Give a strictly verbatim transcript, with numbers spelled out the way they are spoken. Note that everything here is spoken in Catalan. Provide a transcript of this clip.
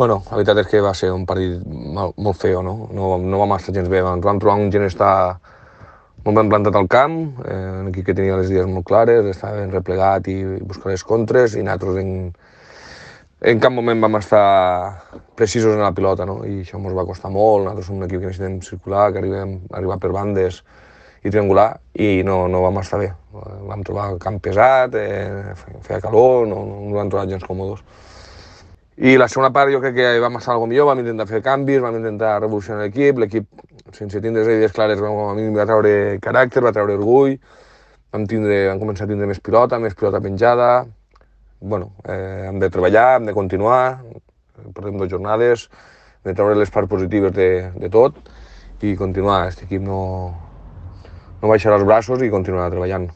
Bueno, la veritat és que va ser un partit molt, molt feo, no? No, no vam estar gens bé. Ens vam trobar un gent estar molt ben plantat al camp, eh, un equip que tenia les idees molt clares, estava ben replegat i buscar les contres, i nosaltres en, en cap moment vam estar precisos en la pilota, no? I això ens va costar molt. Nosaltres som un equip que necessitem circular, que arribem a arribar per bandes i triangular, i no, no vam estar bé. Vam trobar el camp pesat, eh, feia calor, no, no vam trobar gens còmodes. I la segona part jo crec que vam estar algo millor, vam intentar fer canvis, vam intentar revolucionar l'equip, l'equip sense tindre les idees clares a mi va treure caràcter, va treure orgull, vam, tindre, vam començar a tindre més pilota, més pilota penjada. Bueno, eh, hem de treballar, hem de continuar, portem dues jornades, hem de treure les parts positives de, de tot i continuar. Aquest equip no, no baixarà els braços i continuarà treballant.